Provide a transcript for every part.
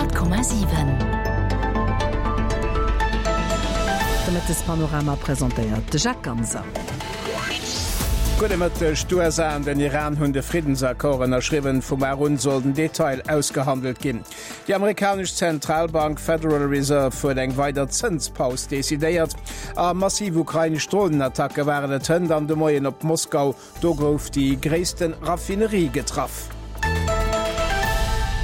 100,7. De Mëttespanorama presentéiert de Jacques Ganser. Gudde Mëtteg, D'USA an den Iran hunn de Friddensaccord ënnerschriwwen. Vu mar un soll den Detail ausgehandelt ginn. Déi amerikanesch Zentralbank Federal Reserve huet eng weider Zënspaus decidéiert. A massiv ukrainesch Dronenattacke waren et hënt an de Moien op Moskau. Do gouf déi gréissten Raffinerie getraff.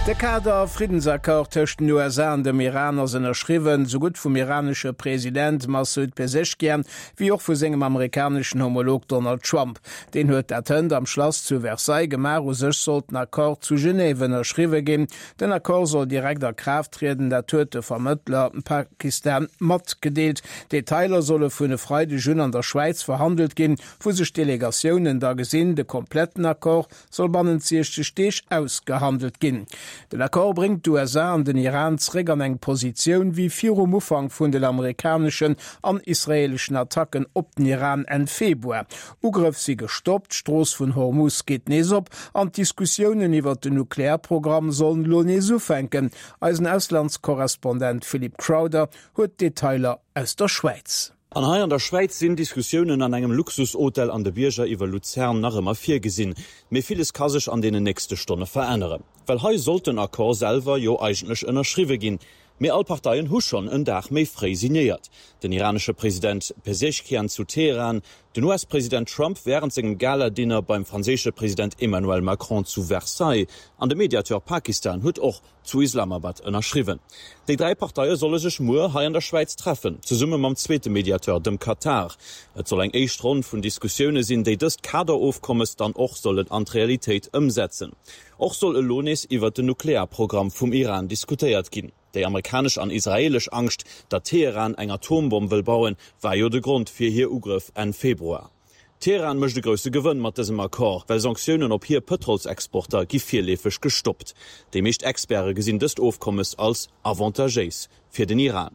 De Kader-Friddensaccord tëscht den USA an dem Iran ass ënnerschriwwen, sou gutt vum iranesche President Massoud Pezeshkian wéi och vu sengem amerikaneschen Homolog Donald Trump. Deen huet dat hënt am Schlass zu Versailles gemaach. U sech sollt den Accord zu Genève ënnerschriwwe ginn. Den Accord soll direkt a Kraaft trieden, dat huet de Vermëttler Pakistan matgedeelt. Detailer solle vun e Freideg un an der Schwäiz verhandelt ginn. Wou sech d'Delegatiounen da gesinn. De kompletten Accord soll bannent 60 Deeg ausgehandelt ginn. Den Accord bréngt d'USA an den Iran zeréck an eng Positioun wéi virum Ufank vun den amerikaneschen an israeeleschen Attacken op den Iran Enn Februar. Ugrëff si gestoppt, d'Strooss vun Hormus geet nees op an d'Diskussiounen iwwert den Nuklearprogramm sollen elo nees ufänken. Eisen Auslandskorrespondent Philip Crowther huet d'Detailer aus der Schwäiz. An hei an der Schwäiz sinn Diskussiounen an engem Luxushotel an de Bierger iwwer Luzern nach ëmmer virgesinn. Mee villes ka sech an deenen nächste Stonne veränneren. Well hei sollt den Accord selwer jo eigentlech ënnerschriwwe ginn. Mee all Parteien hu schonn en Dag méi fréi signéiert. Den iranesche President Pezeshkian zu Teheran, den US-President Trump wärend sengem Gala-Dinner beim franséische President Emmanuel Macron zu Versailles an de Mediateur Pakistan huet och zu Islamabad ënnerschriwwen. Déi 3 Parteie solle sech muer hei an der Schwäiz treffen, zesumme mam zweete Mediateur, dem Katar. Et soll eng éischt Ronn vun Diskussioune sinn, déi dëst Kaderofkommes dann och sollen an d'Realitéit ëmsetzen. Och soll elo nees iwwert den Nuklearprogramm vum Iran diskutéiert ginn. Déi amerikanesch an israeelesch Angscht, datt Teheran eng Atombomm wëll bauen, war jo de Grond fir hir Ugrëff Enn Februar. Teheran mécht e grousse Gewënn mat dësem Accord, well Sanktiounen op hir Pëtrolsexporter gi virleefeg gestoppt. Déi meescht Experte gesinn dëst Ofkommes als avantagéis fir den Iran.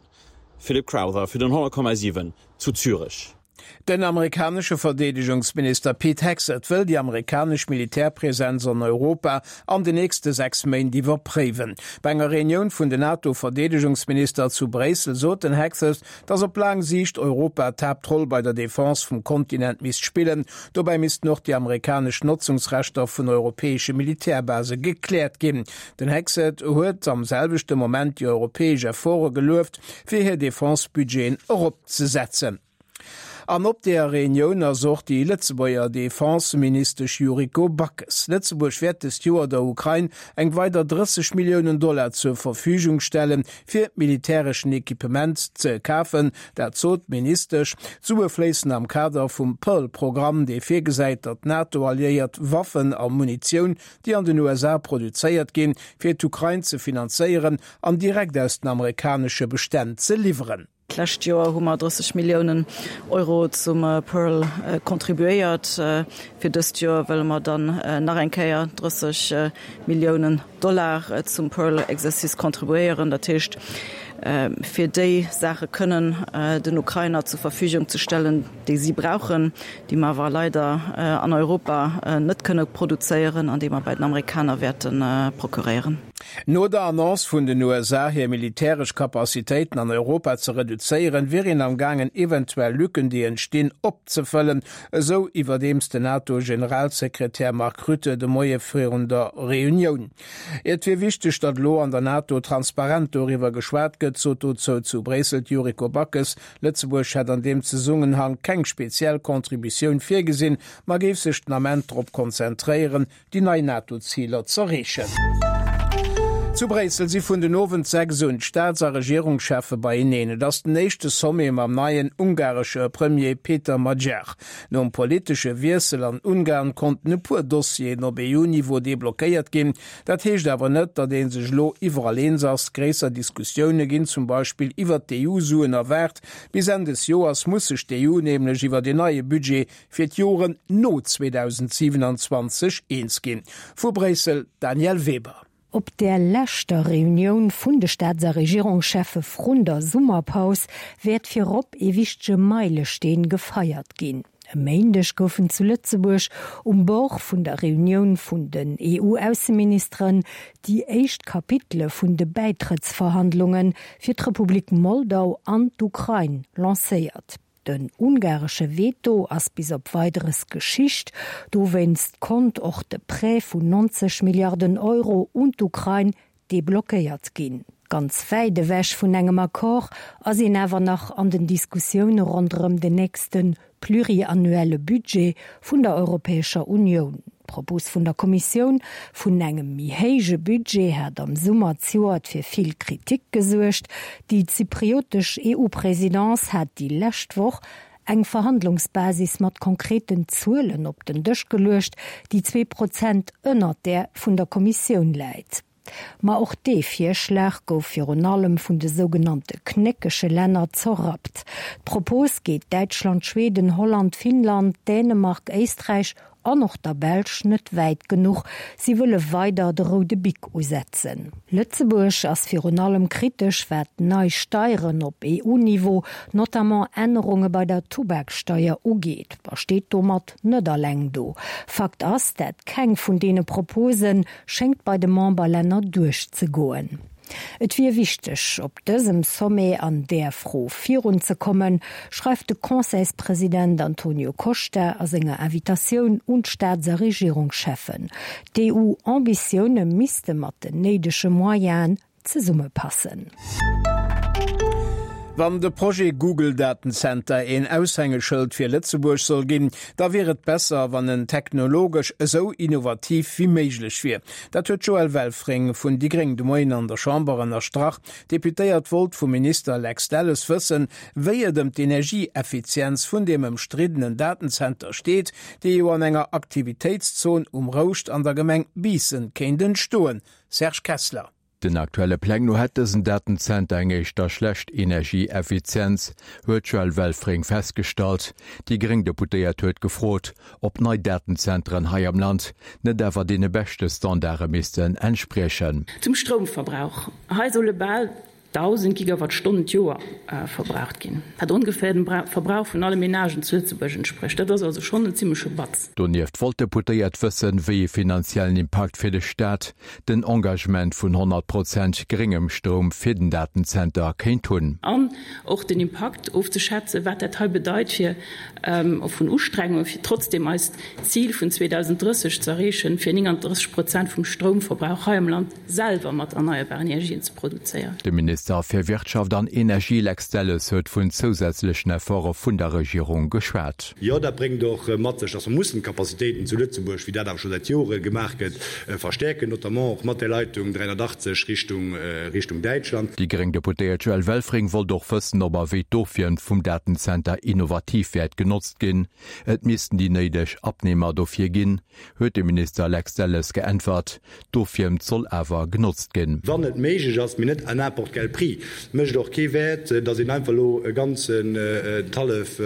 Philip Crowther fir den 100,7 zu Zürech. Den amerikanesche Verdeedegungsminister Pete Hegseth wëll déi amerikanesch Militärpresenz an Europa an de nächste 6 Méint iwwerpréiwen. Bei enger Reunioun vun den NATO-Verdeedegungsminister zu Bréissel sot den Hegseth, datt op laang Siicht Europa d'Haaptroll bei der Defense vum Kontinent misst spillen. Dobäi missten och déi amerikanesch Notzungsrechter vun europäesche Militärbase gekläert ginn. Den Hegseth huet am selwechte Moment déi europäesch Efforte gelueft, fir hir Defense-Budgeten eropzesetzen. An op deeër Reunioun ass och déi Lëtzebuerger Defenseministesch Yuriko Backes. Lëtzebuerg wäert dëst Joer der Ukrain eng weider 30 Milliounen Dollar zur Verfügung stellen, fir militäreschen Equipement ze kafen. Dat sot d'Ministesch. D'Sue fléissen am Kader vum Pearl-Programm, dee virgesäit, datt d'NATO-Alliéiert Waffen a Munitioun, déi an den USA produzéiert ginn, fir d'Ukrain ze finanzéieren an direkt aus den amerikanesche Bestänn ze liwweren. D'lescht Joer hu mer 30 Milliounen Euro zum Pearl contribuéiert. Fir dëst Joer wëlle mer dann nach eng Kéier 30 Milliounen Dollar zum Pearl-Exercice contribuéieren. Dat heescht, fir déi Saache kënnen den Ukrainer zur Verfügung ze stellen, déi si brauchen, déi mer awer leider an Europa net kënne produzéieren an déi mer bei den Amerikaner wäerte procuréieren. No der Annonce vun den USA, hir militäresch Capacitéiten an Europa ze reduzéieren, wier een am gaangen eventuell Lücken, déi entstinn, opzefëllen, esou iwwerdeems den NATO-Generalsekretär Mark Rutte de Moie virun der Reunioun. Et wier wichteg, datt elo an der NATO transparent doriwwer geschwat gëtt, sot dozou zu Bréissel d'Yuriko Backes. Lëtzebuerg hätt an deem Zesummenhang keng speziell Contributioun virgesinn, ma géif sech den Ament drop konzentréieren, déi nei NATO-Ziler z'erreechen. Zu Bréissel si vun den Owend 6 un d'Staats a Regierungscheffe beieneen. Et ass den éischte Sommet mam neien ungaresche Premier Peter Magyar. Nom politesche Wiessel an Ungarn konnten e puer Dossieren op EU-Niveau deblockéiert ginn. Dat heescht awer net, datt ee sech elo iwwerall eens ass. Gréisser Diskussioune ginn zum Beispill iwwert d'EU-Suen erwaart. Bis Enn des Joers muss sech d'EU nämlech iwwert een neie Budget fir d'Joren no 2027 eens ginn. Vu Bréissel d'Danièle Weber. Op där leschter Reunioun vun de Staats a Regierungscheffe vrun der Summerpaus wäert virop ee wichtege Meilesteen gefeiert ginn. E Méindeg goufen zu Lëtzebuerg um Bord vun der Reunioun vun den EU-Ausseministeren déi éischt Kapitele vun de Bäitrëttsverhandlunge fir d'Republik Moldau an d'Ukrain lancéiert. Den ungaresche Veto ass bis op Weideres Geschicht. Dowéinst konnt och de Prêt vun 90 Milliarden Euro un d'Ukrain deblockéiert ginn. Ganz wäit ewech vun engem Accord ass een awer nach an den Diskussioune ronderëm den nächste pluriannuelle Budget vun der Europäescher Unioun. D'Propos vun der Kommissioun vun engem méi héije Budget hat am Summer zejoert fir vill Kritik gesuergt. Déi zypriotesch EU-Presidence hat déi lescht Woch eng Verhandlungsbasis mat konkreten Zuelen op den Dësch geluecht, déi 2% ënnert där vun der Kommissioun läit. Ma och dee Virschlag gouf virun allem vun de sougenannte knéckege Länner zerrappt. D'Propos geet Däitschland, Schweden, Holland, Finnland, Dänemark, Éisträich an och der Belsch net wäit genuch. Si wëlle weider de roude Bic usetzen. Lëtzebuerg ass virun allem kritesch, wat nei Steieren op EU-Niveau, notamment Ännerunge bei der Tubaksteier ugeet, a steet domat net alleng do. Fakt ass, dat keng vun deene Propose schéngt bei de Memberlänner duerchzegoen. Et wier wichteg, op dësem Sommet an där Fro virunzekommen, schreift de Conseilspresident Antonio Costa a senger Invitatioun un d'Staats a Regierungscheffen. D'EU-Ambitioune misste mat den néidege Moyenen zesummepassen. Wann de Projet Google Datenzenter een Aushängeschëld fir Lëtzebuerg soll ginn, da wier et besser, wann en technologesch esou innovativ wéi méiglech wier. Dat huet d'Joëlle Welfring vun déi gréng de Moien an der Chamber ënnerstrach. D'Deputéiert wollt vum Minister Lex Delles wëssen, wéi et ëm d'Energieeffizienz vun deem ëmstriddenen Datenzenter steet, dee jo an enger Aktivitéitszon um Rouscht an der Gemeng Biissen kéint entstoen. Serge Kessler. Den aktuelle Pläng no hätt dësen Datenzenter eng éischter schlecht Energieeffizienz, huet d'Joëlle Welfring festgestallt. Déi gréng Deputéiert huet gefrot, ob nei Datenzenteren hei am Land net awer deene beschte Standarde missten entspriechen. Zum Stroumverbrauch, Hei solle bal 1.000 Gigawattstonnen d'Joer verbraucht ginn, wat ongeféier dem Verbrauch vun alle Menagen zu Lëtzebuerg entsprécht. Dat ass also schonn en zimmleche Batz. Donieft wollt d'Deputéiert wëssen, wéi ee finanziellen Impakt fir de Staat den Engagement vun 100 Prozent gréngem Stroum fir den Datenzenter kéint hunn. An och den Impakt ofzeschätzen, wat dat hei bedeit fir vun Ustrengungen, fir trotzdeem eist Zil vun 2030 ze erreechen, fir 39 Prozent vum Stroumverbrauch hei am Land selwer mat erneierbaren Energien ze produzéieren. De Minister fir Wirtschaft an Energie Lex Delles huet vun zousätzlechen Efforte vun der Regierung geschwat. Jo, dat bréngt och mat sech, dass mer mussen d'Capacitéiten zu Lëtzebuerg, wéi dat awer scho säit Jore gemaach gëtt, verstäerken, notamment och mat där Leitung 380 Richtung, Richtung Däitschland. Déi gréng Deputéiert Joëlle Welfring wollt och wëssen, ob a wéi d'Ofwiermt vum Datenzenter innovativ wäert genotzt ginn. Et missten déi néideg Abnehmer dofir ginn, huet de Minister Lex Delles geäntwert. D'Ofwiermt soll awer genotzt ginn. Wann et méiglech ass, mee net à n'importe quel prix. Et mécht och kee Wäert, datt een einfach elo e ganzen d'hallef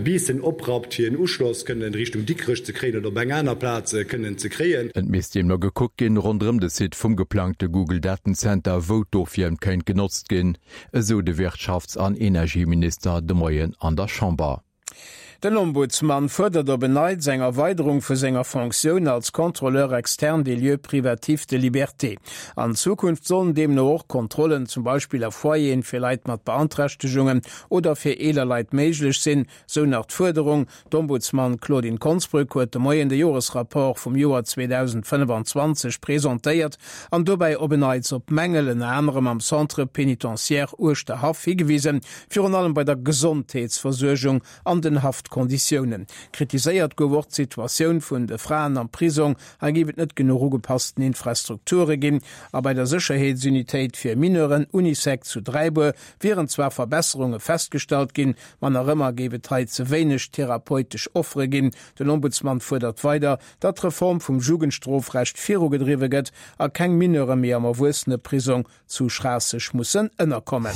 Biissen oprappt, fir en Uschloss kënnen Richtung Dikrech ze kréien oder op eng aner Plaz kënnen ze kréien. Et misst deemno gekuckt ginn, ronderëm de Site vum geplangte Google-Datenzenter, wou d'Ofwiermt kéint genotzt ginn, esou de Wirtschafts an Energieminister de Moien an der Chamber. Den Ombudsman fuerdert op en Neits eng Erweiderung vu senger Fonctioun als Contrôleur externe des lieux privatifs de liberté. An Zukunft sollen deemno och Kontrollen, zum Beispill a Foyeren fir Leit mat Beanträchtegungen oder fir eeler Leit méiglech sinn, sou nach d'Fuerderung. D'Ombudsman Claudine Konsbrück huet de Moien de Joresrapport vum Joer 2025 presentéiert an dobäi op en Neits op Mängel ënner anerem am Centre pénitentiaire Uerschterhaff higewisen, Virun allem bei der Gesondheetsversuergung an den Haftkonditiounen. Kritiséiert gouf och d'Situatioun vun de Fraen am Prisong. Hei géif et net genuch ugepassten Infrastrukture ginn. A bei der Sécherheetsunitéit fir Mineuren, Unisec, zu Dräibuer wieren zwar Verbesserunge festgestallt ginn, ma nach ëmmer géif et hei ze wéineg therapeutesch Offere ginn. Den Ombudsman fuerdert weider, datt d'Reform vum Jugendstrofrecht virugedriwwe gëtt a keng Mineure méi am Erwuesseneprisong zu Schraasseg mussen ënnerkommen.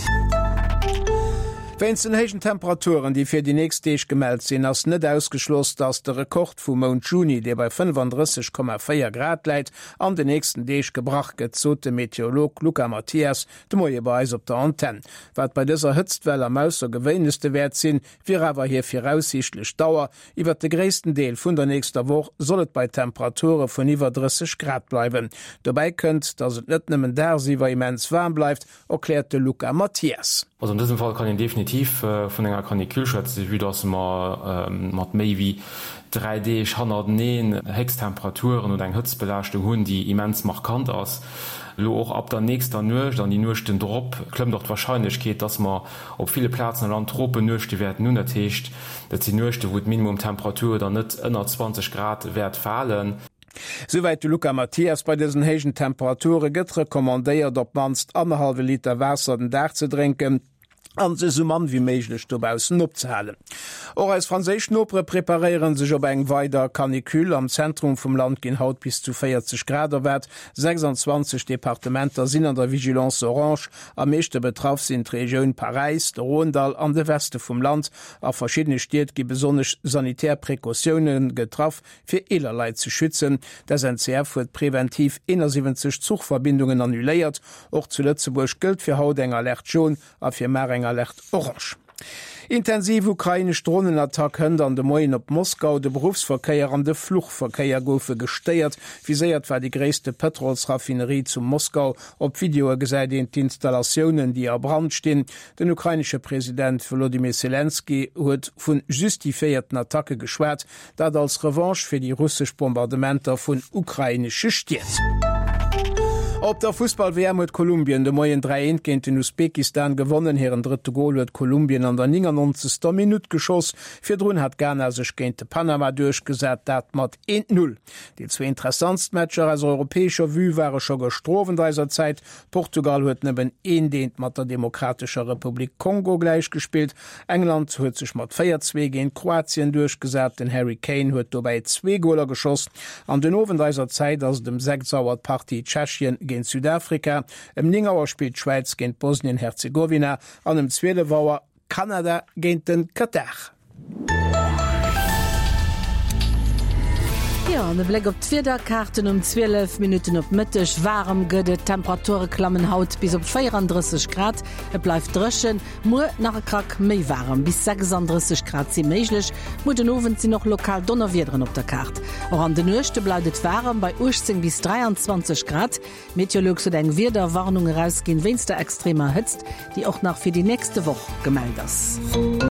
Wéinst den héijen Temperaturen, déi fir déi nächst Deeg gemellt sinn, ass net ausgeschloss, dass de Rekord vum Mount Juni, dee bei 35,4 Grad läit, an den nächsten Deeg gebrach gëtt, sot de Meteorolog Luca Mathias de Moie bei eis op der Antenn. Wat bei dëser Hëtztwell am aussergewéinlechste wäert sinn, wier awer hir viraussiichtlech Dauer. Iwwert de gréissten Deel vun der nächster Woch soll et bei Temperature vun iwwer 30 Grad bleiwen. Dobäi kënnt, dass et net nëmmen dagsiwwer immens waarm bleift, erkläert de Luca Mathias. Also an dësem Fall kann een definitiv vun enger Canicule schwätzen, vue dass mer mat méi wéi 3 Deeg hannerteneen Héchsttemperaturen oder eng Hëtztbelaaschtung hunn, déi immens markant ass. Elo och ab der nächster Nuecht an déi Nuechten drop klëmmt och d'Warscheinlechkeet, dass mer op ville Plazen am Land Tropennuechte wäerten hunn. Dat heescht, dat sinn Nuechte wou d'Minimumtemperatur dann net ënner 20 Grad wäert falen. Souwäit de Luca Mathias. Bei dësen héijen Temperature gëtt recommandéiert, op d'mannst annerhallwe Liter Waasser den Dag ze drénken an sech esou mann wéi méiglech dobaussen opzehalen. Och eis franséisch Nopere preparéiere sech op eng weider Canicule. Am Zentrum vum Land ginn haut bis zu 40 Grad erwaart. 26 Departementer sinn an der Vigilance orange. Am meeschte betraff sinn d'Regioun Paräis, de Rhône-Dall an de Weste vum Land. A verschiddene Stied gi besonnesch sanitär Precautioune getraff, Fir eeler Leit ze schützen. D'SNCF huet preventiv 71 Zuchverbindungen annuléiert. Och zu Lëtzebuerg gëllt fir haut eng Alerte jaune a fir mar eng Alerte orange. Intensiv ukrainesch Dronenattack hënt an de Moien op Moskau. De Beruffsverkéier an de Fluchverkéier goufe gestéiert. Viséiert war déi gréisste Pëtrolsraffinerie zu Moskau. Op Videoe gesäit een d'Installatiounen, déi a Brand stinn. Den ukrainesche President Wolodymyr Selenskyj huet vu justifiéierten Attacke geschwat. Dat als Revanche fir déi russesch Bombardementer vun ukrainesche Stied. Op der Fussball-WM huet Kolumbien de Moien 3, 1 géint den Usbekistan gewonnen. Hiren drëtte Gol huet Kolumbien an der 99. Minutt geschoss. Virdrun hat Ghana sech géint de Panama duerchgesat, dat mat 1, 0. Déi zwee interessantst Matcher aus europäescher Vue ware scho gëschter Owend eiser Zäit. Portugal huet nëmmen eent eent mat der Demokratescher Republik Kongo gläichgespillt. England huet sech mat 4, 2 géint Kroatien duerchgesat. Den Harry Kane huet dobäi zwee Goler geschoss. An den Owend eiser Zäit ass et ëm 6 Auer d'Partie Tschechien géint Südafrika. Ëm 9 Auer spillt d'Schwäiz géint Bosnien-Herzegowina an ëm 12 Auer Kanada géint de Katar. Jo, an e Bléck op d'Wiederkaarten um 12 Minutten op Mëtteg. Waarem gëtt et, d'Temperature klammen haut bis op 34 Grad. Et bleift dréchen, muer nach e Krack méi waarem, bis 36 Grad si méiglech. Muer den Owend sinn och lokal Donnerwiederen op der Kaart. Och an de Nuechte bleift et waarem bei 18 bis 23 Grad. Meteolux huet eng Wiederwarnung erausginn wéinst der extremer Hëtzt, déi och nach fir déi nächste Woch gemellt ass.